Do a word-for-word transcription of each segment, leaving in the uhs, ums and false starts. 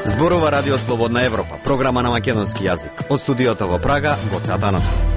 Зборува Радио Слободна Европа, програма на македонски јазик. Од студиото во Прага, Гоце Атанасов.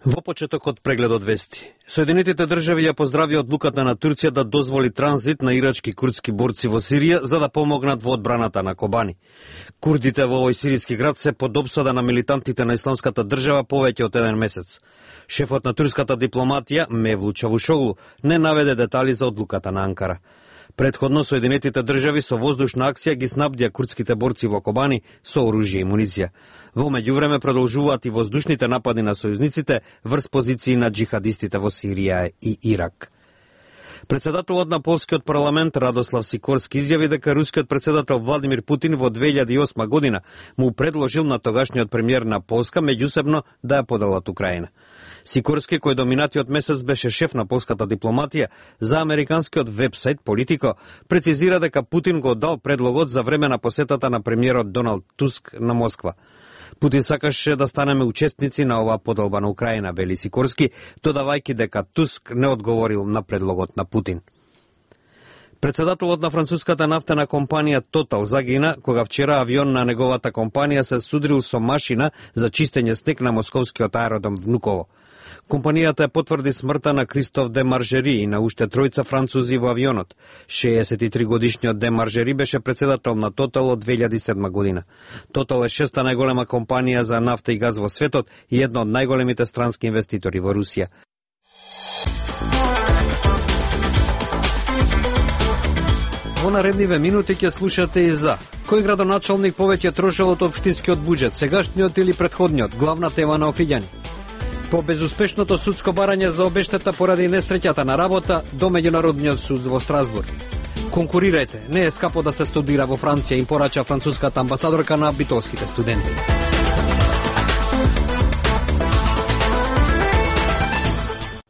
Во почетокот прегледот вести. Соединетите држави ја поздрави одлуката на Турција да дозволи транзит на ирачки курдски борци во Сирија за да помогнат во одбраната на Кобани. Курдите во овој сиријски град се под опсада на милитантите на Исламската држава повеќе од еден месец. Шефот на турската дипломатија, Мевлут Чавушоглу, не наведе детали за одлуката на Анкара. Предходно Соединетите држави со воздушна акција ги снабдија курдските борци во Кобани со оружје и муниција. Во меѓувреме продолжуваат и воздушните напади на сојузниците врз позиции на джихадистите во Сирија и Ирак. Председателот на полскиот парламент Радослав Сикорски изјави дека рускиот председател Владимир Путин во две илјади и осма година му предложил на тогашниот премиер на Полска меѓусебно да ја поделат Украина. Сикорски, кој до минатиот месец беше шеф на полската дипломатија, за американскиот вебсайт Политико прецизира дека Путин го дал предлогот за време на посетата на премиерот Доналд Туск на Москва. Путин сакаше да станеме учесници на оваа поделба на Украина, вели Сикорски, додавајќи дека Туск не одговорил на предлогот на Путин. Председателот на француската нафтена компанија Тотал загина кога вчера авион на неговата компанија се судрил со машина за чистење снег на московскиот аеродром Внуково. Компанијата ја потврди смртта на Кристоф Де Маржери и на уште тројца французи во авионот. шеесет и три годишниот Де Маржери беше председател на Тотал од две илјади и седма година. Тотал е шеста најголема компанија за нафта и газ во светот и една од најголемите странски инвеститори во Русија. Во наредниве минути ќе слушате и за кој градоначалник повеќе трошел од општинскиот буџет, сегашниот или претходниот, главна тема на Охриѓани. По безуспешното судско барање за обештета поради несреќата на работа до Меѓународниот суд во Страсбург. Конкурирајте, не е скапо да се студира во Франција, им порача француската амбасадорка на битолските студенти.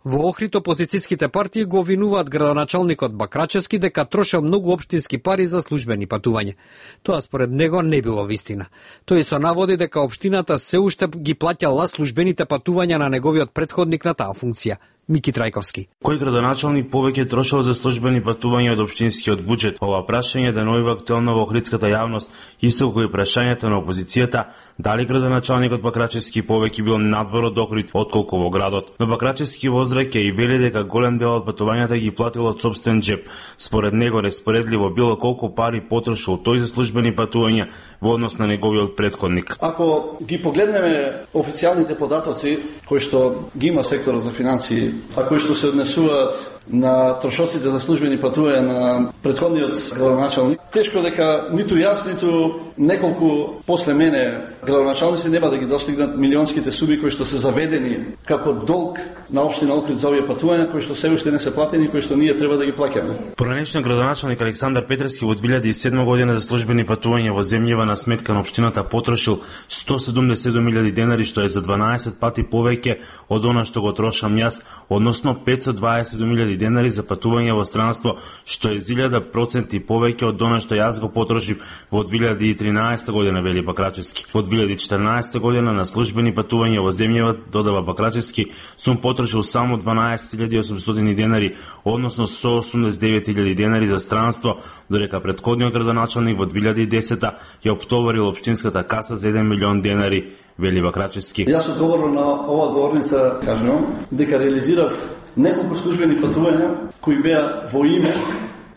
Во Охрид опозицијските партии го обвинуваат градоначалникот Бакрачевски дека трошел многу општински пари за службени патувања. Тоа според него не било вистина. Тој со наводи дека општината се уште ги плаќала службените патувања на неговиот претходник на таа функција, Мики Трајковски. Кој градоначалник повеќе трошел за службени патувања од општинскиот буџет? Ова прашање денувува актуелно во охридската јавност, исто како и прашањето на опозицијата дали градоначалникот Бакрачевски повеќе бил надвор од Охрид отколку во градот. Но Бакрачевски возраќа и вели дека голем дел од патувањата ги платил од сопствен джеб. Според него неспоредливо било колку пари потрошил тој за службени патувања во однос на неговиот претходник. Ако ги погледнеме официјалните податоци кои што ги има секторот за финансии, а кои што се однесуваат на трошоците за службени патувања на претходниот градоначалник, тешко дека ниту јас, ниту неколку после мене градоначалници нема да ги достигнат милионските суми кои што се заведени како долг на општина Охрид за овие патувања, кои што се уште не се платени, кои што ние треба да ги плаќаме. Поранешниот градоначалник Александар Петровски во две илјади и седма година за службени патувања во земјава на сметка на општината потрошил сто седумдесет и седум илјади денари, што е за дванаесет пати повеќе од она што го трошам јас односно петстотини и дваесет илјади денари за патување во странство, што е илјада проценти повеќе од она што јас го потрошив во две илјади и тринаесета година, вели Бакрачевски. Во две илјади и четрнаесета година на службени патувања во земјава, додава Бакрачевски, сум потрошил само дванаесет илјади и осумстотини денари, односно сто осумдесет и девет илјади денари за странство, додека претходниот градоначалник во две илјади и десета ја оптоварил општинската каса за еден милион денари, вели Бакрачевски. Јас одговорно на ова говорница кажувам дека реализирав неколку службени патувања кои беа во име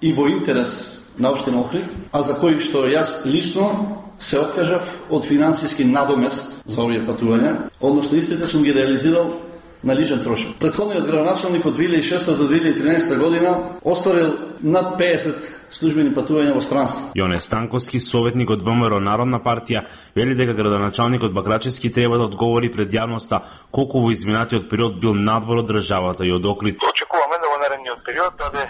и во интерес на општина Охрид, а за кои што јас лично се откажав од финансиски надомест за овие патувања, односно истите сум ги реализирал на личен трошок. Претходниот градоначалник од две илјади и шеста до две илјади и тринаесета година остварил над пеесет службени патувања во странство. Јоне Станковски, советник од ВМРО Народна партија, вели дека градоначалникот Бакрачевски треба да одговори пред јавноста колку во изминатиот период бил надвор од државата и од Охрид. Очекуваме да во наредниот период даде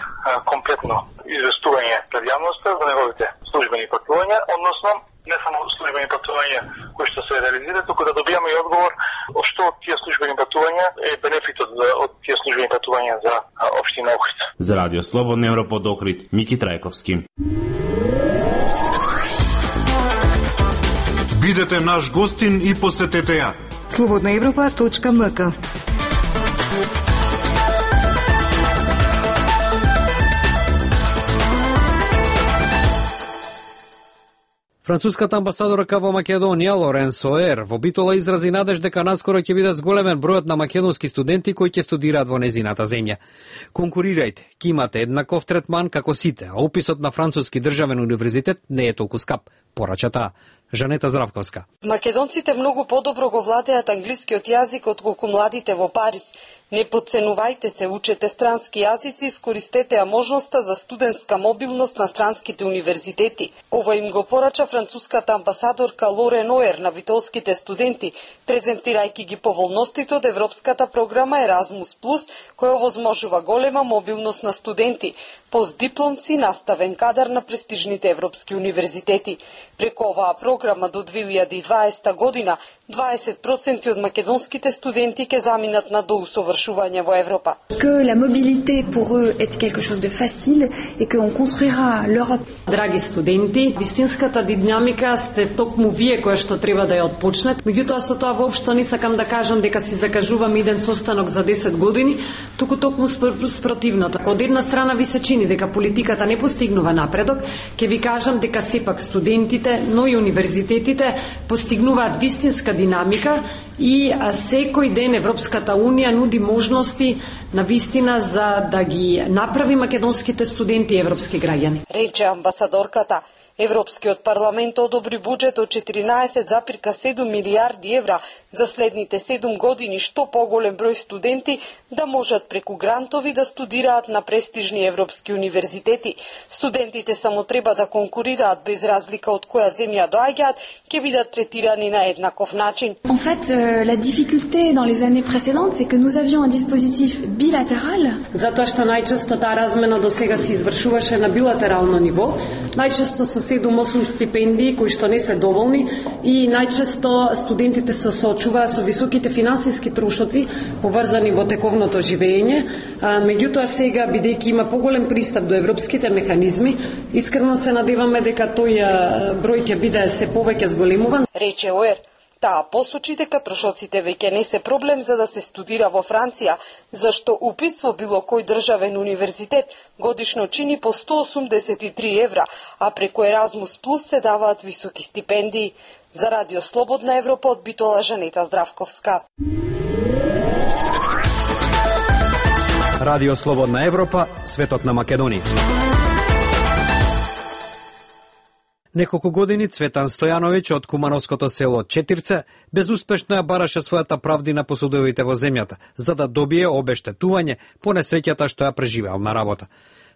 комплетно известување пред јавноста за неговите службени патувања, односно не само службени патувања кои што се реализираат, туку да добијаме и одговор што од тие службени патувања е бенефитот од тие службени патувања за општина Охрид. За Радио Слободна Европа од Охрид, Мики Трајковски. Бидете наш гостин и посетете ја. слободна европа точка ем ка. Француската амбасадорка во Македонија, Лоренс Оер, во Битола изрази надеж дека наскоро ќе биде зголемен бројот на македонски студенти кои ќе студираат во незината земја. Конкурирајте, ќе имате еднаков третман како сите, а уписот на Француски државен универзитет не е толку скап, порача таа. Жанета Здравковска. Македонците многу подобро го владеат англискиот јазик отколку младите во Париз. Не подценувајте се, учете странски јазици, искористете ја можноста за студентска мобилност на странските универзитети. Ова им го порача француската амбасадорка Лорен Оер на битолските студенти, презентирајќи ги поволностите од европската програма Еразмус плюс, која овозможува голема мобилност на студенти, постдипломци, наставен кадар на престижните европски универзитети. Преку оваа програма до две илјади и дваесета година дваесет проценти од македонските студенти ќе заминат на доусовршување во Европа. Que la mobilité pour eux est quelque chose de facile et que on construira l'Europe. Драги студенти, вистинската динамика сте токму вие која што треба да ја отпочнат. Меѓутоа со тоа воопшто не сакам да кажам дека си закажувам иден состанок за десет години, туку токму спротивното. Од една страна ви се чини дека политиката не постигнува напредок, ќе ви кажам дека сепак студентите, но и универзитетите постигнуваат вистинска динамика и секој ден Европската Унија нуди можности на вистина за да ги направи македонските студенти европски граѓани. Рече амбасадорката. Европскиот парламент одобри буџет од четиринаесет зарез седум милијарди евра за следните седум години, што поголем број студенти да можат преку грантови да студираат на престижни европски универзитети. Студентите само треба да конкурираат без разлика од која земја доаѓаат, ќе бидат третирани на еднаков начин. En fait, euh, la difficulté dans les années précédentes, c'est que nous avions un dispositif bilatéral. Затоа што најчесто таа размена до сега се извршуваше на билатерално ниво, најчесто со седум-осум стипендии кои што не се доволни и најчесто студентите се соочуваат со високите финансиски трошоци поврзани во тековното живење. Меѓутоа сега, бидејќи има поголем пристап до европските механизми, искрено се надеваме дека тој број ќе биде се повеќе зголемуван. Рече Оер. Таа посочи дека трошоците веќе не се проблем за да се студира во Франција, зашто упис во било кој државен универзитет годишно чини по сто осумдесет и три евра, а преку Еразмус плюс се даваат високи стипендии. За Радио Слободна Европа од Битола, Жанета Здравковска. Радио Слободна Европа, светот на Македонија. Неколку години Цветан Стојановиќ од кумановското село Четирце безуспешно ја бараше својата правдина по судовите во земјата, за да добие обештетување по несреќата што ја преживеал на работа.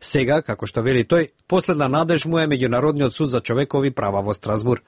Сега, како што вели тој, последна надеж му е Меѓународниот суд за човекови права во Страсбур.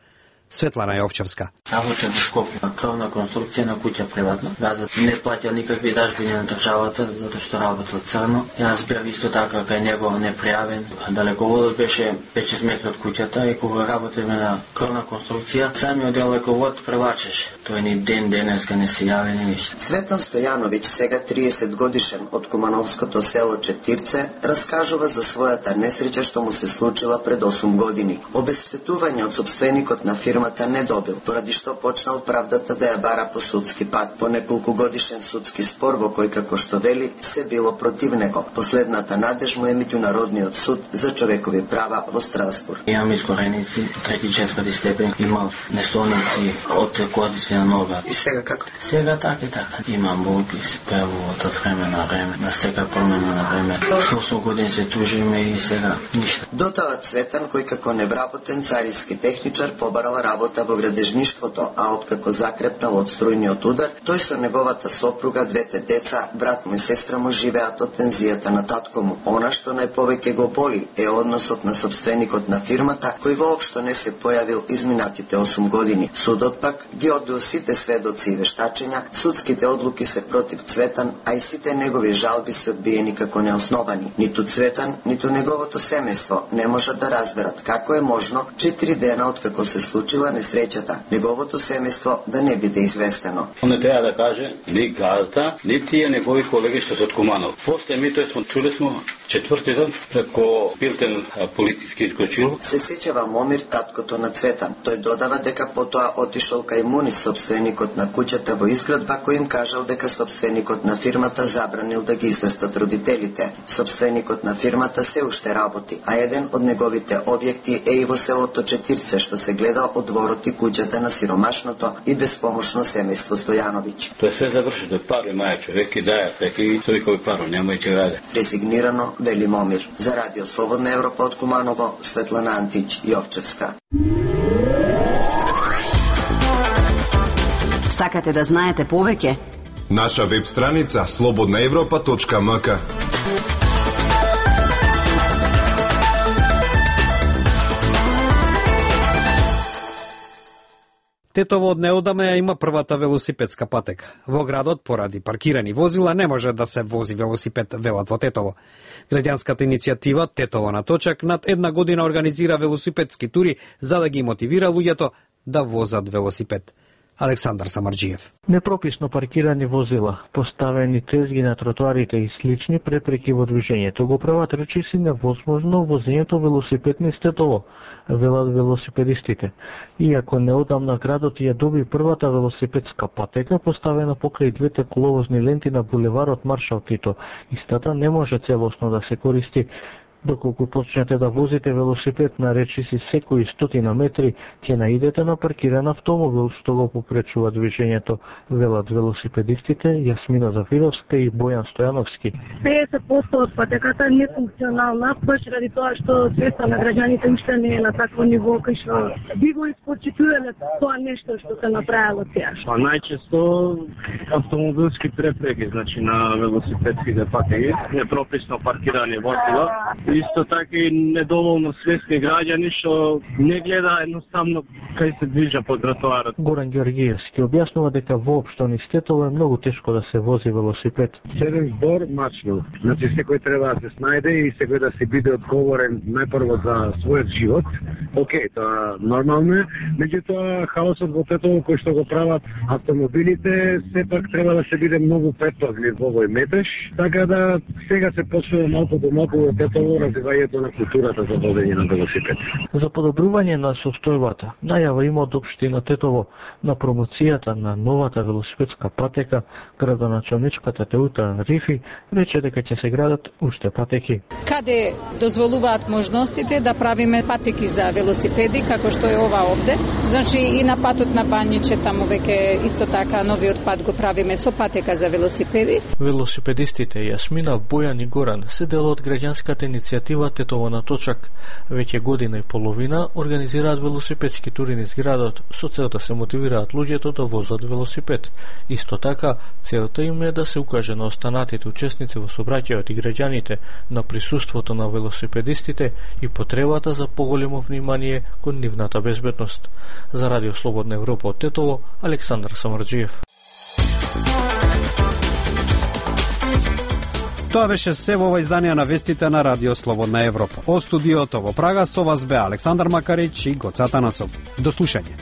Светлана Јовчевска. Работа во Скопје, кровна конструкција на куќа приватно. Газот не плаќа никакви дажбини на државата, затоа што работел црно. Јас бев исто така кај него непријавен. Далеководот беше пет-шест метри од куќата и кога работевме на кровна конструкција, самиот далековод превлачеше. Тој ни ден денеска не се јави ни ништо. Цветан Стојановиќ, сега триесет годишен од Кумановското село Четирце, раскажува за својата несреќа што му се случила пред осум години. Обезштетување од сопственикот на фирмата не добил, поради што почнал правдата да ја бара по судски пат. По неколку годишен судски спор во кој, како што вели, се било против него. Последната надеж му е Меѓународниот суд за човекови права во Страсбург. Имам искореници, трети четврти степен, имав несолници од кодици на нога. И сега како? Сега така и така. Имам болки, спевуват од време на време, на сека промена на време. Со осум години се тужиме и сега ништо. Дотава Цветан, кој како невработен цариски техничар побарал работа во градежништвото, а откако закрепнал од струјниот удар, тој со неговата сопруга, двете деца, брат му и сестра му живеат од пензијата на татко му. Она што најповеќе го боли е односот на сопственикот на фирмата, кој воопшто не се појавил изминатите осум години. Судот пак ги одбил сите сведоци и вештачења, судските одлуки се против Цветан, а и сите негови жалби се одбиени како неосновани. Ниту Цветан, ниту неговото семејство не можат да разберат како е можно четири дена откако се случила несреќата, неговото семејство да не биде известено. Не треба да каже ни газда, ни тие негови колеги што се од Куманов. После ми тој смо чуле смо четврти ден преко Билтен политички искочил. Се сеќава Момир, таткото на Цветан. Тој додава дека потоа отишол кај Муни, собственикот на куќата во изградба, кој им кажал дека собственикот на фирмата забранил да ги известат родителите. Собственикот на фирмата се уште работи, а еден од неговите објекти е и во селото Четирце, што се гледа од дворот и куќата на сиромашното и безпомошно семејство Стојановиќ. Тоа се заврши до пари маја човек и даја секи тој паро нема и ќе раде. Резигнирано вели Момир. За Радио Слободна Европа од Куманово, Светлана Антич Јовчевска. Сакате да знаете повеќе? Наша веб страница слободна европа точка м к. Тетово од неодамна ја има првата велосипедска патека. Во градот, поради паркирани возила, не може да се вози велосипед, велат во Тетово. Граѓанската иницијатива Тетово на точак над една година организира велосипедски тури за да ги мотивира луѓето да возат велосипед. Александар Самарџиев. Непрописно паркирани возила, поставени тезги на тротоарите и слични препреки во движењето го прават речиси невозможно возењето велосипед низ Тетово, велат велосипедистите. Иако неодамна градот ја доби првата велосипедска патека поставена покрај двете коловозни ленти на булеварот Маршал Тито, истата не може целосно да се користи. Доколку почнете да возите велосипед на речиси секои стотина метри, ќе наидете на паркиран автомобил што го попречува движењето, велат велосипедистите Јасмина Зафировска и Бојан Стојановски. педесет проценти од патеката е нефункционална, баш ради тоа што свеста на граѓаните уште не е на такво ниво кај што би го испочитувале тоа нешто што се направило сега. Па најчесто автомобилски препреки, значи на велосипедските патеки, непрописно паркирани возила. Исто така и недоволно свесни граѓани што не гледа едноставно кај се движа по тротоарот. Горан Ѓоргиевски објаснува дека воопшто низ Тетово е многу тешко да се вози велосипед. Седен збор мачно. Значи секој треба да се снајде и секој да се биде одговорен најпрво за својот живот. Океј, тоа нормално е, меѓутоа хаосот во Тетово кој што го прават автомобилите сепак треба да се биде многу предпазлив во овој метеж, така да сега се почнува малку по малку во Тетово развивањето на културата за возење на велосипед. За подобрување на состојбата, најава има од општина Тетово на промоцијата на новата велосипедска патека, градоначалничката Теута Рифи рече дека ќе се градат уште патеки. Каде дозволуваат можностите да правиме патеки за велосипеди, како што е ова овде. Значи и на патот на Банјиче таму веќе исто така новиот пат го правиме со патека за велосипеди. Велосипедистите Јасмина, Бојан и Горан се дел од граѓанската иницијатива иницијатива Тетово на точак. Веќе година и половина организираат велосипедски тури низ градот со цел да се мотивираат луѓето да возат велосипед. Исто така, целта им е да се укаже на останатите учесници во сообраќајот и граѓаните на присуството на велосипедистите и потребата за поголемо внимание кон нивната безбедност. За Радио Слободна Европа од Тетово, Александар Самарџиев. Тоа беше се во ова издание на вестите на Радио Слободна Европа. Од студиото во Прага со вас бе Александар Макарич и Гоца Танасов. До слушање.